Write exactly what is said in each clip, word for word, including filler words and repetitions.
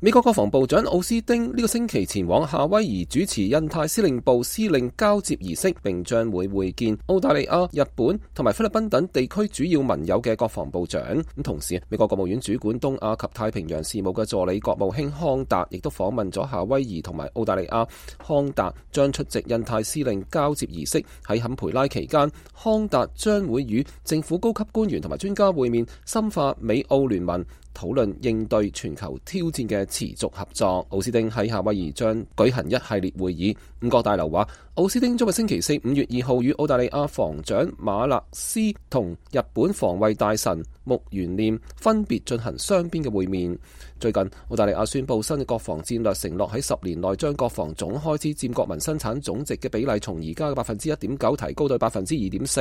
美國國防部長奧斯汀呢個星期前往夏威夷主持印太司令部司令交接儀式，並將會會見澳大利亞、日本同埋菲律賓等地區主要盟友嘅國防部長。咁同時，美國國務院主管東亞及太平洋事務嘅助理國務卿康達亦都訪問咗夏威夷同埋澳大利亞。康達將出席印太司令交接儀式。喺坎培拉期間，康達將會與政府高級官員同埋專家會面，深化美澳聯盟，討論應對全球挑戰嘅持續合作。奧斯汀喺夏威夷將舉行一系列會議。五角大樓話，奧斯汀將喺星期四五月二號與澳大利亞防長馬勒斯同日本防衛大臣木原念分別進行雙邊嘅會面。最近，澳大利亞宣布新嘅國防戰略承諾喺十年內將國防總開支佔國民生產總值嘅比例從而家嘅百分之一點九提高到百分之二點四。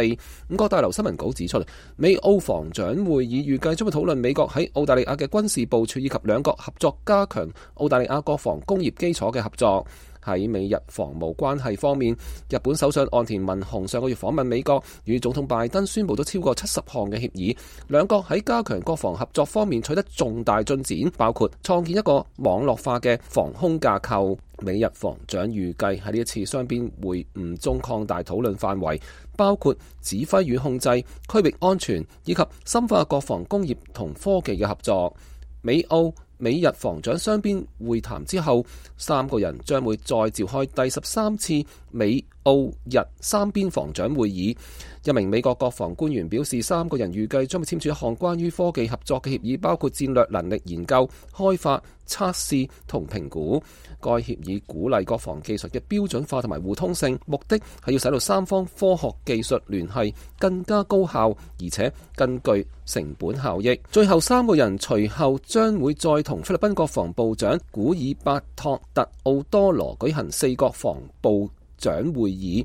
五角大樓新聞稿指出，美澳防長會議預計將會討論美國喺澳大利亞嘅軍事部署以及兩國合作加強澳大利亞國防工業基礎嘅合作。喺美日防務關係方面，日本首相岸田文雄上個月訪問美國，與總統拜登宣布咗超過七十項嘅協議。兩國喺加強國防合作方面取得重大進展，包括創建一個網絡化嘅防空架構。美日防長預計喺呢一次雙邊會晤中擴大討論範圍，包括指揮與控制、區域安全以及深化國防工業同科技嘅合作。美澳美日防長雙邊會談之後，三個人將會再召開第十三次美澳日三邊防長會議。一名美國國防官員表示，三個人預計將會簽署一項關於科技合作嘅協議，包括戰略能力研究、開發、測試同評估。該協議鼓勵國防技術嘅標準化同埋互通性，目的係要使到三方科學技術聯繫更加高效，而且更具成本效益。最後三個人隨後將會再同菲律賓國防部長古爾伯托特奧多羅舉行四國防部長會議，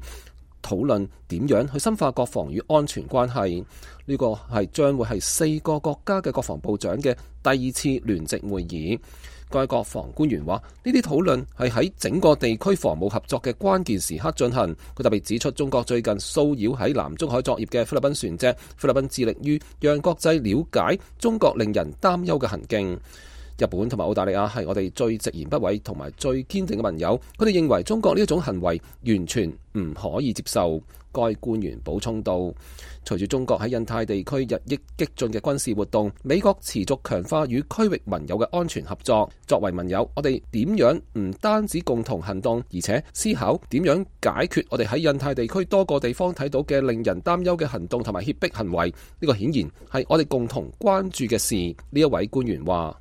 討論點樣去深化國防與安全關係。呢個係將會係四個國家嘅國防部長嘅第二次聯席會議。該國防官員話，呢啲討論係喺整個地區防務合作嘅關鍵時刻進行。佢特別指出，中國最近騷擾喺南中海作業嘅菲律賓船隻，菲律賓致力於讓國際了解中國令人擔憂嘅行徑。日本同埋澳大利亞係我哋最直言不諱同埋最堅定嘅盟友，佢哋認為中國呢一種行為完全唔可以接受。該官員補充道，隨住中國喺印太地區日益激進嘅軍事活動，美國持續強化與區域盟友嘅安全合作。作為盟友，我哋點樣唔單止共同行動，而且思考點樣解決我哋喺印太地區多個地方睇到嘅令人擔憂嘅行動同埋脅迫行為。呢個顯然係我哋共同關注嘅事。呢一位官員話。